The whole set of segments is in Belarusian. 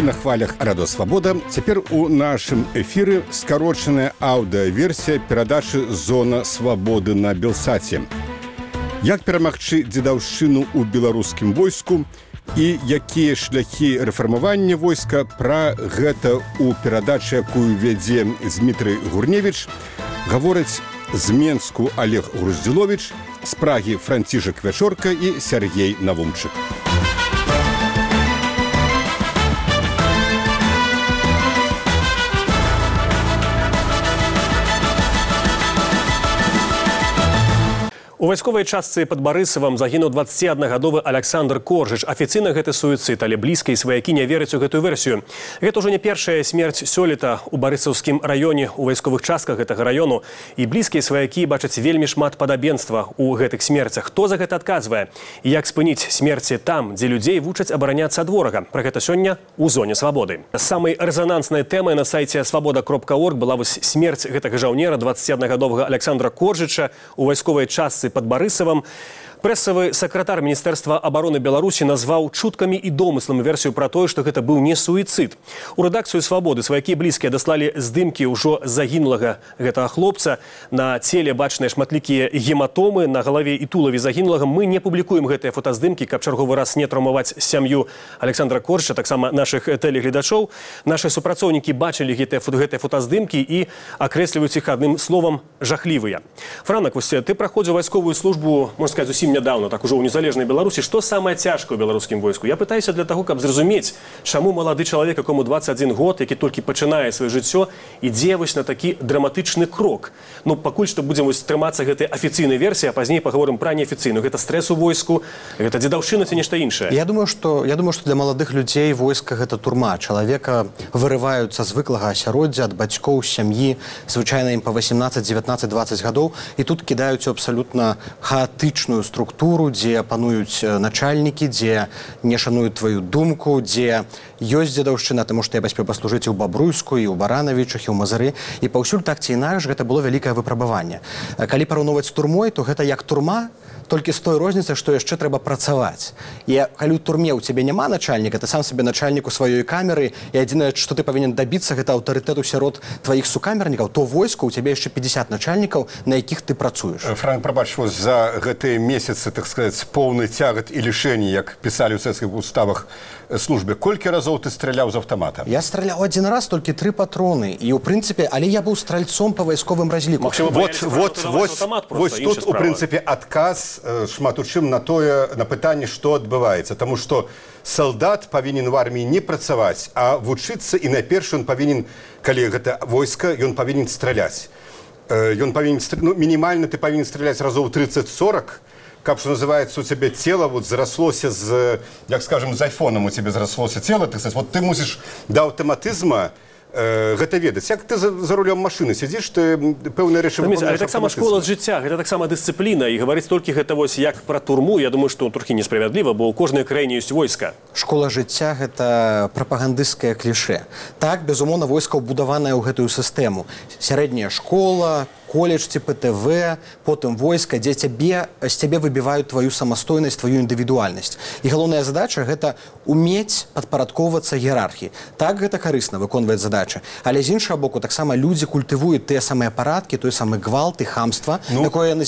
на хвалях Радио Свобода. Цяпер у нашым эфіры скарочаная аўдыаверсія перадачы «Зона свабоды» на Белсаце. Як перамагчы дзедаўшчыну ў беларускім войску і якія шляхі рэфармавання войска, пра гэта ў перадачы, якую вядзе Дмітрый Гурневіч, гавораць з Менску Олег Груздзіловіч, з Прагі Францішак Вячорка і Сергей Навумчык. У вайсковай частцы пад Барысавам загінуў 21-гадовы Александр Коржыч. Афіцыйна гэта суіцыд, але блізкія сваякі не вераць у гэтую версію. Гэта ўжо не першая смерць сёлета ў Барысаўскім раёне, у вайсковых частках гэтага раёну. І блізкія сваякі бачаць вельмі шмат падабенства ў гэтых смерцях. Хто за гэта адказвае? І як спыніць смерці там, дзе людзей вучаць абараняцца ад ворага? Пра гэта сёння ў Зоне свабоды. Самай рэзананснай тэмай на сайце свабода.орг была вось смерць гэтага жаўнера, 21-гадовага Александра Коржыча у вайсковай частцы под Барысавам. Прэсавы сакратар Міністэрства абароны Беларусі назваў чуткамі і домыслам версію пра тое, што гэта быў не суіцыд. У рэдакцыю «Свабоды» сваякі блізкія даслалі здымкі ўжо загінулага гэтага хлопца. На целе бачныя шматлікія гематомы, на галаве і тулаве загінулага. Мы не публікуем гэтыя фотаздымкі, каб чарговы раз не траўмаваць сям'ю Александра Коржыча, таксама нашых тэлегледачоў. Нашы супрацоўнікі бачылі гэтыя фотаздымкі і акрэсліваюць іх адным словам жахлівыя. Франак, вось ты праходзіў вайсковую службу, можна сказаць, зусім нядаўна, так ужо ў незалежнай Беларусі. Што самае цяжкае ў беларускім войску? Я пытаюся для таго, каб зразумець, чаму малады чалавек, якому 21 год, які толькі пачынае сваё жыццё, ідзе вось на такі драматычны крок. Ну, пакуль што будзем вось трымацца гэтай афіцыйнай версіі, а пазней паговорым пра неафіцыйную. Гэта стрэс у войску, гэта дзедаўшчына ці нешта іншае? Я думаю, што для маладых людзей войска гэта турма. Чалавека вырываюцца з звыклага асяроддзя, ад бацькоў, сям'і, звычайна ім па 18, 19, 20 гадоў, і тут кідаюць у абсалютна хаатычную структуру, дзе пануюць начальнікі, дзе не шануюць тваю думку, дзе ёсць дзедаўшчына, таму што я паспеў паслужыць і ў Бабруйску, і ў Баранавічах, і ў Мазыры, і паўсюль так ці інакш гэта было вялікае выпрабаванне. Калі параўноўваць з турмой, то гэта як турма, толькі з той розніцай, што яшчэ трэба працаваць. І калі ў турме ў цябе няма начальніка, ты сам сабе начальнік у сваёй камеры, і адзінае, што ты павінен дабіцца, гэта аўтарытэту сярод тваіх сукамернікаў, то войску ў цябе яшчэ 50 начальнікаў, на якіх ты працуеш. Франк, прабач, за гэтыя месяцы, так сказаць, поўны цягат і лішэнні, як пісалі ў цэцкіх уставах службе, колькі разоў ты страляў з аўтамата? Я страляў адзін раз, толькі 3 патроны. І ў прынцыпе, але я быў стральцом па вайсковым разліку. Вось тут, у прынцыпе, адказ шмат у чым на пытанне, што адбываецца. Таму што салдат павінен у арміі не працаваць, а вучыцца, і найперш ён павінен, калі гэта войска, ён павінен страляць. Ён павінен, мінімальна ты павінен страляць разоў 30-40, каб, што называецца, у цябе цела вот зараслося з, як скажем, з айфоном у цябе зараслося цела, ты мусіш да аўтаматызма гэта ведаць. Як ты за рулём машыны сядзіш, ты пэўныя рэчы выконваеш. Але таксама школа з жыцця, гэта таксама дысцыпліна, і гаварыць толькі гэта вось як пра турму, я думаю, што трохі несправядліва, бо ў кожнай краіне ёсць войска. Школа жыцця – гэта прапагандысцкае клішэ. Так, безумоўна, войска ўбудаванае ў гэтую сістэму. Сярэдняя школа, коледж ці ПТВ, потым войска, дзе з цябе выбіваюць тваю самастойнасць, тваю індывідуальнасць. І галоўная задача – гэта умець падпарадкоўвацца іерархіі. Так, гэта карысна выконваць задачы. Але з іншага боку, таксама людзі культывуюць тыя самыя парадкі, той самы гвалт і хамства, з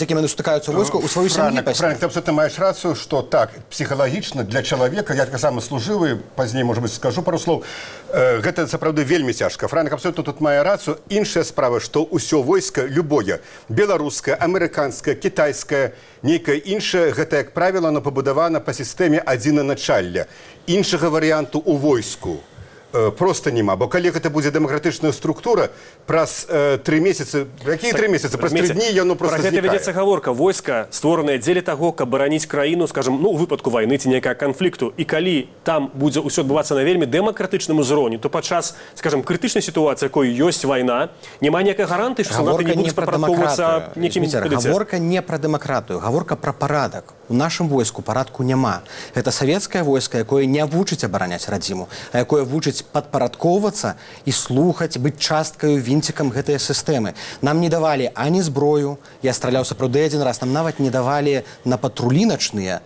якімі яны сутыкаюцца ў войску, у сваёй сям'і. Франк, ты абсолютно маеш рацыю, што так, псіхалагічна для чалавека, я таксама служывы, пазней, можа быць, скажу пару слоў, гэта сапраўды вельмі цяжка. Франк абсолютно тут мае рацыю. Іншая справа, што ўсё войска, любое, беларускае, амерыканскае, кітайскае, нейкае іншае, гэта, як правіла, пабудавана па сістэме адзінаначалля. Іншага варыянту ў войску просто няма, бо калі гэта будзе дэмакратычная структура, праз 3 месяцы, якія 3 месяцы, праз 3 дні яно просто знікае. Пра гэта вядзецца гаворка. Войска створанае дзеля таго, каб бараніць краіну, скажам, у выпадку вайны ці нейкага канфлікту. І калі там будзе ўсё адбывацца на вельмі дэмакратычным узроўні, то падчас, скажам, крытычнай сітуацыі, якой ёсць вайна, няма ніякай гарантыі, што салдаты не будуць падпарадкоўвацца некімі. Гаворка не пра дэмакратыю, гаворка пра парадак. у нашым войску парадку няма. Гэта савецкае войска, якое не вучыць абараняць радзіму, а якое вучыць падпарадкоўвацца і слухаць, быць часткаю, вінцікам гэтыя сістэмы. Нам не давалі ані зброю, я страляў сапраўды адзін раз, нам нават не давалі на патрулі начныя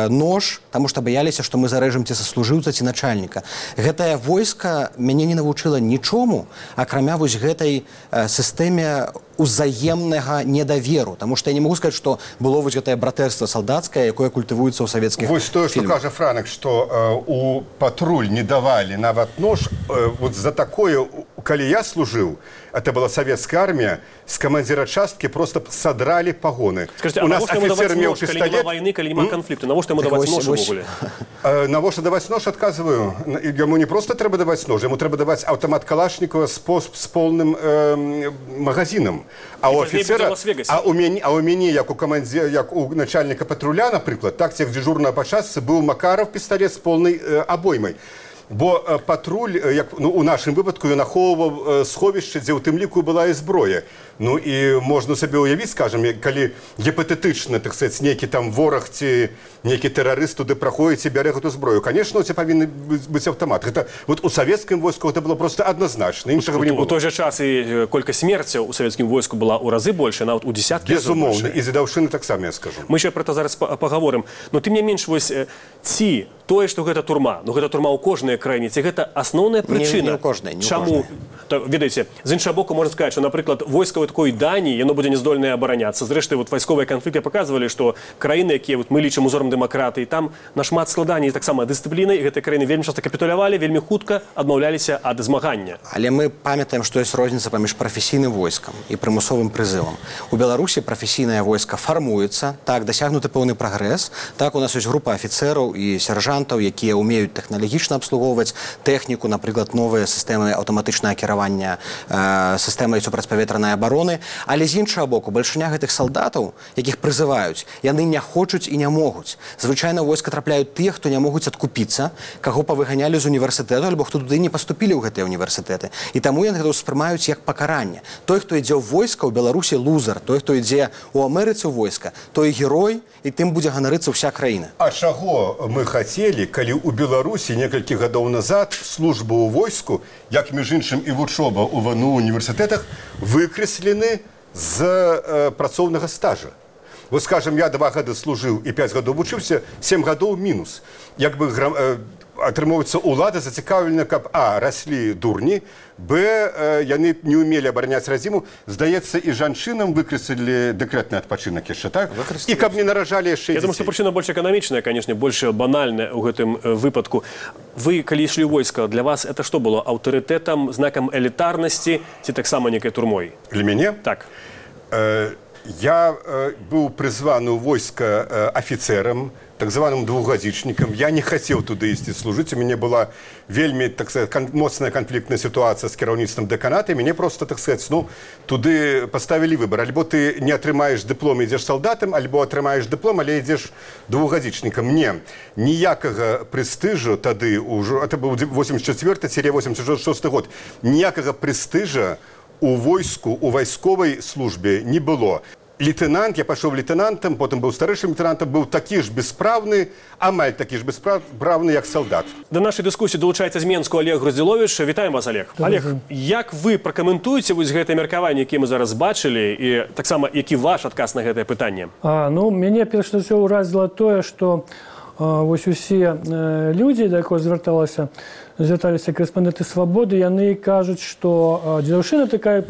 нож, таму што баяліся, што мы зарэжам ці саслужыўца, ці начальніка. Гэтае войска мяне не навучыла нічому, акрамя вось гэтай сістэме узаемнага недаверу, таму што я не могу сказаць, што было вось гэтае братэрства салдацкае, якое культывуецца ў савецкіх фільмах. Вось тое, што кажа Франак, што у патруль не давалі нават нож, вот за такое, калі я служыў, это была савецкая армія, з камандзіра часткі просто садралі пагоны. Скажите, а навошта яму даваць нож, калі няма вайны, калі няма канфлікту? Навошта яму даваць нож увогуле? Навошта даваць нож, адказваю. Яму не просто трэба даваць нож, яму трэба даваць аўтамат Калашнікова з поўным магазинам. А у офіцера, у мяне, як у камандзіра, як у начальніка патруля, напрыклад, так, як дзежурна па частцы, быў Макаров пісталет з поўнай абоймай. Бо патруль, як у нашым выпадку, ён ахоўваў сховішча, дзе ў тым ліку была і зброя. Ну і можна сабе ўявіць, скажам, калі гіпатэтычна, так сказаць, нейкі там вораг ці нейкі тэрарыст туды праходзіць і бярэ гэту зброю. Конечно, у цябе павінны быць аўтамат. Гэта вот у савецкім войску гэта было просто адназначна. Іншага не было. У той жа час і колькасць смерцяў у савецкім войску была ў разы больше, нават у десяткі разоў больше. Безумоўна, і дзедаўшчыны таксама, я скажу. Мы ще про це зараз пагаворым. Но тым не менш, вось ці тое, што гэта турма, ну гэта турма ў кожнай краіне, ці гэта асноўная прычына? Не ў кожнай. Чаму? Ведаеце, з іншага боку можна сказаць, што, напрыклад, войскавай такой Даніі, яно будзе няздольнае абараняцца. Зрэшты, вот вайсковыя канфлікты паказвалі, што краіны, якія мы лічым узорам дэмакратыі, там нашмат складаней таксама дысцыплінай, і гэтыя краіны вельмі часта капітулявалі, вельмі хутка адмаўляліся ад змагання. Але мы памятаем, што ёсць розніца паміж прафесійным войскам і прымусовым прызывам. У Беларусі прафесійнае войска фармуецца, так, дасягнуты пэўны прагрэс, так, у нас ёсць група афіцэраў і сяржантаў, якія ўмеюць тэхналагічна абслугоўваць тэхніку, напрыклад, новыя сістэмы аўтаматычнага кіравання сістэмай супрацьпаветранай абароны. Але з іншага боку, бальшыня гэтых салдатаў, якіх прызываюць, яны не хочуць і не могуць. Звычайна ў войска трапляюць тыя, хто не могуць адкупіцца, каго павыганялі з універсітэту, альбо хто туды не паступілі ў гэтыя універсітэты. І таму яны гэта ўспрымаюць як пакаранне. Той, хто ідзе ў войска, ў Беларусі лузар, той, хто ідзе ў Амерыцы ў войска, той герой, і тым будзе ганарыцца ўся краіна. А чаго мы хацелі, калі ў Беларусі некалькі гадоў назад служба ў войску, як між іншым і вучоба ў ВНУ універсітэтах, выкрэслены з працоўнага стажа. Вот, скажем, я 2 гады служыў і 5 гадоў вучыўся, 7 гадоў мінус. Як бы атрымоўваецца, улада зацікаўлена, каб а, раслі дурні, б, яны не ўмелі абараняць радзіму. Здаецца, і жанчынам выкрэслілі дэкрэтны адпачынак яшчэ, так? І каб не наражалі яшчэ дзяцей. Я думаю, што прычына больш эканамічная, канешне, больш банальная ў гэтым выпадку. Вы, калі ішлі ў войска, для вас это што было? Аўтарытэтам, знакам элітарнасці ці таксама некай турмой? Для мяне? Так. Я быў прызваны ў войска афіцэрам, так званым двухгадзічнікам. Я не хацеў туды ісці служыць. У мяне была вельмі, так сказать, моцная канфліктная сітуацыя з кіраўніцтвам дэканата. Мяне просто, так сказать, туды паставілі выбар. Альбо ты не атрымаеш дыплом, ідзеш салдатам, альбо атрымаеш дыплом, але ідзеш двухгадзічнікам. Не, ніякага прэстыжу тады, это быў 84-86 год, ніякага прэстыжа у войску, у вайсковай службе не было. Лейтенант, я пашоў лейтенантам, потым быў старэйшым лейтенантам, быў такі ж беспраўны, амаль такі ж беспраўны, як салдат. Да нашай дыскусіі долучаецца з Менску Олег Груздзіловіч. Вітаем вас, Олег. Олег, як вы пракаментуеце вось гэтае меркаванне, якія мы зараз бачылі, і таксама які ваш адказ на гэтае пытанне? Ну, мяне перш за ўсё ўразіла тое, што вось усе людзі, да якога звярталіся корэспандэнты «Свабоды», яны кажуць, што дзедаўшчына такая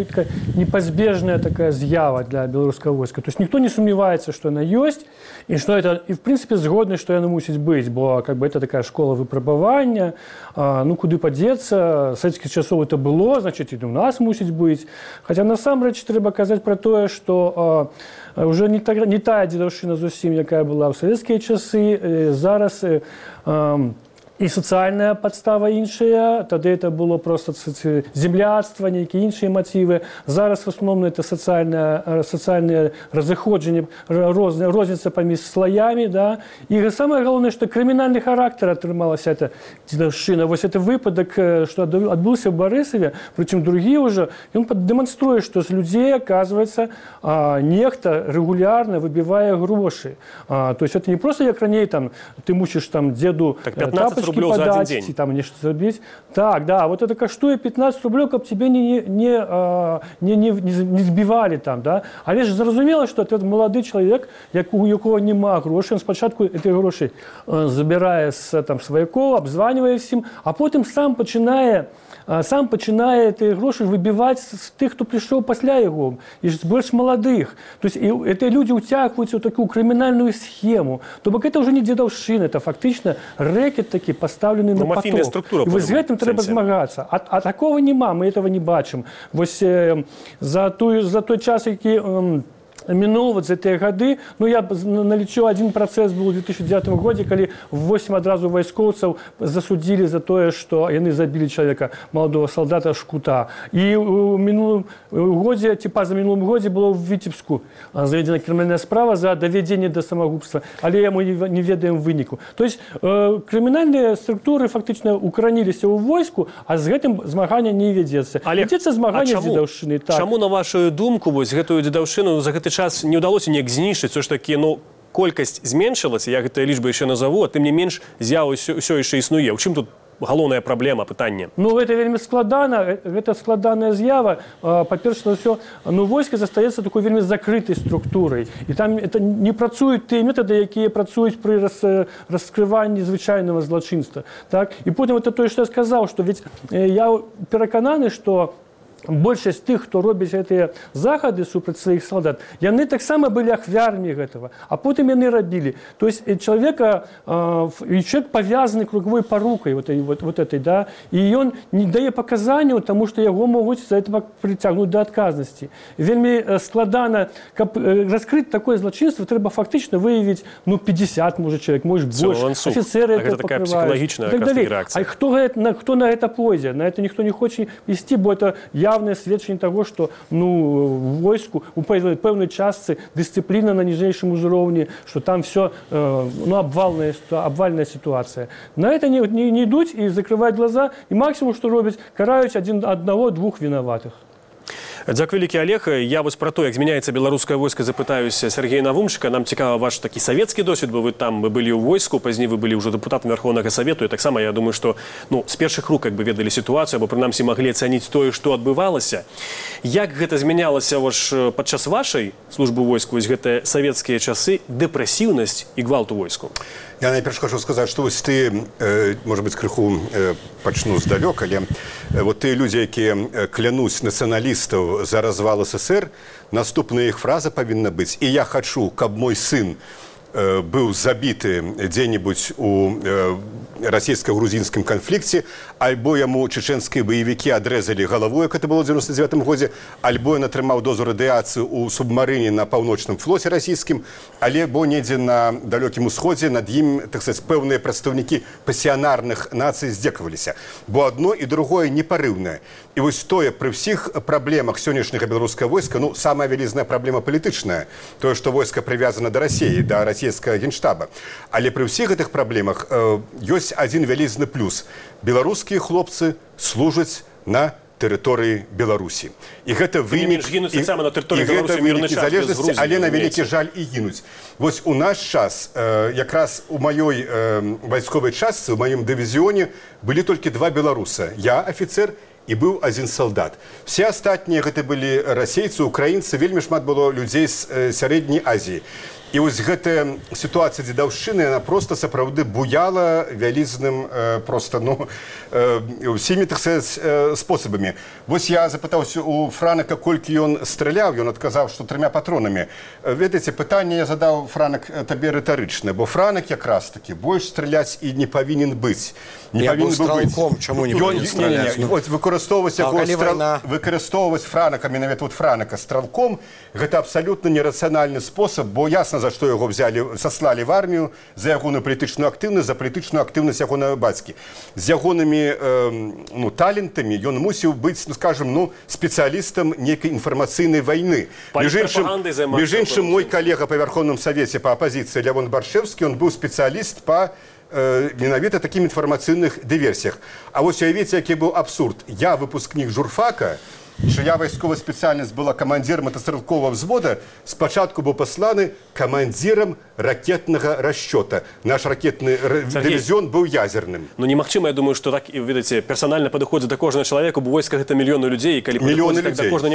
непазбежная такая з'ява для беларускага войска. То есть ніхто не сумневаецца, што яна ёсць, і што это, і в прынцыпе згодны, што яна мусіць быць, бо как бы это такая школа выпрабавання, ну куды падзецца, савецкіх часоў это было, значит, і у нас мусіць быць. Хаця насамрэч трэба казаць пра тое, што уже не тая дзедаўшчына зусім, якая была ў савецкія часы, зараз і сацыяльная падстава іншая, тады это было просто земляцтва, нейкія іншыя матывы. Зараз в основном это сацыяльныя разыходжанні, розніца паміж слоямі, да? І самае галоўнае, што крымінальны характар атрымалася эта дзедаўшчына. Вось это выпадак, што адбыўся ў Барысаве, прычым другі ўжо, ён дэманструе, што з людзей, оказывается, нехта рэгулярна выбівае грошы. То есть это не просто як раней, там, ты мусіш там дзеду тапочки подать, и там нечто забить. Так, да, вот это каштует 15 рублей, как тебе не збивали там, да. Але ж зразумела, что этот молодой человек, у якого нема грошей, он спочатку эти гроши забирае с там сваякоў, обзванивае всем, а потом сам пачынае эти гроши выбивать с тех, кто пришел пасля его, и больше молодых. То есть эти люди утягиваются в такую криминальную схему. То бок это уже не дзедаўшчына, это фактично рэкет такі поставлены на поток. Структура, і вось з гэтым трэба змагацца. А такого няма, мы этого не бачым. Вось за той час, які мінуў вот за тыя гады, ну я налічу, один працэс был у 2009 годзе, калі 8 адразу вайскоўцаў засудзілі за тое, што яны забілі чалавека, маладого солдата Шкута. І у мінулым годзе, ці пазамінулым годзе было ў Віцебску заведзена крымінальная справа за давядзенне да самагубства, але мы не ведаем выніку. То есть крымінальныя структуры фактычна укараніліся ў войску, а з гэтым змагання не вядзецца. Вядзецца змаганне з дзедаўшчынай. Чаму, на вашу думку, вось гэтую дзедаўшчыну за гэты час не ўдалося неяк знішчыць? Все ж такі, ну, колькасць зменшылася, я гэтыя лічбы яшчэ назову, а тым не менш з'ява ўсё яшчэ існуе. У чым тут галоўная праблема, пытанне? Ну, гэта вельмі складана, гэта складаная з'ява. Па-першае, ўсё, ну, войска застаецца такой вельмі закрытай структурай. І там это не працуюць тыя метады, якія працуюць пры раскрыванні звычайнага злачынства. Так? І потым это тое, што я сказаў, што ведь я перакананы, што большасць тых, хто робіць гэтыя захады супраць сваіх салдат, яны таксама былі ахвярамі гэтага, а потым яны рабілі. То есть человек павязаны круговой парукай вот этой, да, і ён не дае паказанняў, таму што яго могуць за это прыцягнуць да адказнасці. Вельмі складана, каб раскрыць такое злачынства, трэба фактычна выявіць, ну, 50, можа, человек, может, больше. Офіцеры это такая психологічная реакція. А хто на гэта пойдзе? На это ніхто не хоче ісці, бо это явное сведчанне того, что, ну, в войску у пэўнай частцы дысцыпліна на ніжэйшым узроўні, что там все, ну, обвальная ситуация. На это не идут и закрывают глаза, и максимум, что робяць, караюць одного-двух виноватых. Дзякуй вялікі, Олег. Я вось пра то, як змяняецца беларускае войска, запытаюся Сергея Навумчыка. Нам цікава ваш такі савецкі досвед, бо вы былі ў войску, пазней вы былі ўжо дэпутатам Верховнага Савету, і таксама, я думаю, што, ну, з першых рук як бы ведалі сітуацыю, або прынамсі маглі ацаніць тое, што адбывалася. Як гэта змянялася падчас вашай службы ў войску, вось гэтыя савецкія часы, дэпрэсіўнасць і гвалт у войску? Я найперш хочу сказаць, што вось ты, можа быць, крыху пачну здалёк, але вот тыя людзі, якія клянуць нацыяналістаў за развал СССР, наступная іх фраза павінна быць: «І я хачу, каб мой сын быў забіты дзе-небудзь у расійска-грузінскім канфлікце, альбо яму чеченскія баевікі адрэзалі галаву, як это было ў 99-м годзе, альбо ён атрымаў дозу радыяцыі ў субмарыне на паўночным флоце расійскім, альбо недзе на далёкім усходзе над ім, так сказаць, пэўныя прадстаўнікі пасіянарных нацый здзекаваліся. Бо адно і другое непарыўнае. І вось тое, пры ўсіх праблемах сённяшняга беларускага войска, ну, самая вялізная праблема палітычная, тое, што войска прывязана да Расіі, да расійскага генштаба. Але пры ўсіх гэтых праблемах ёсць адзін вялізны плюс. Беларускія хлопцы служаць на тэрыторыі Беларусі. І гэта вынік залежнасці, але на вялікі жаль і гінуць. Вось у наш час, якраз у маёй вайсковай частцы, у маём дывізіёне былі толькі 2 беларуса. Я афіцэр і быў адзін салдат. Все астатнія гэта былі расейцы, украінцы, вельмі шмат было людзей з сярэдняй Азіі. І вось гэтая сітуацыя дзедаўшчыны, яна проста сапраўды буяла вялізным проста, ну, усімі, так сказаць, спосабамі. Вось я запытаўся у Франака, колькі ён страляў, ён адказаў, што 3 патронамі. Ведаеце, пытанне я задаў, Франак, табе рытарычнае, бо Франак якраз такі больш страляць і не павінен быць. Я быў стралком, чаму не павінен страляць? Выкарыстоўваць Франака, менавіта Франака стралком, гэта абсалютна нерацыянальны спосаб, бо ясна, ясна, за што яго саслалі в армію, за ягоную палітычную актыўнасць, за палітычную актыўнасць ягонага бацькі. З ягонымі талентамі ён мусіў быць, скажем, спецыялістам нейкай інфармацыйнай вайны. Між іншым, мой калега па Верховным Савеце па апазіцыі Лявон Баршэвскі, ён быў спецыяліст па менавіта такім інфармацыйных дыверсіях. А вось уявіце, які быў абсурд. Я выпускнік журфака, чия вайсковая спецыяльнасць была камандзірам мотастрэлковага взвода, спачатку быў пасланы камандзірам ракетнага расчёта. Наш ракетны дывізіон быў ядзерным. Ну немагчыма, я думаю, што так, ведаеце, персанальна падыходзіць да кожнага чалавека, бо войска гэта мільёны людзей, і калі падыходзіць так да кожнага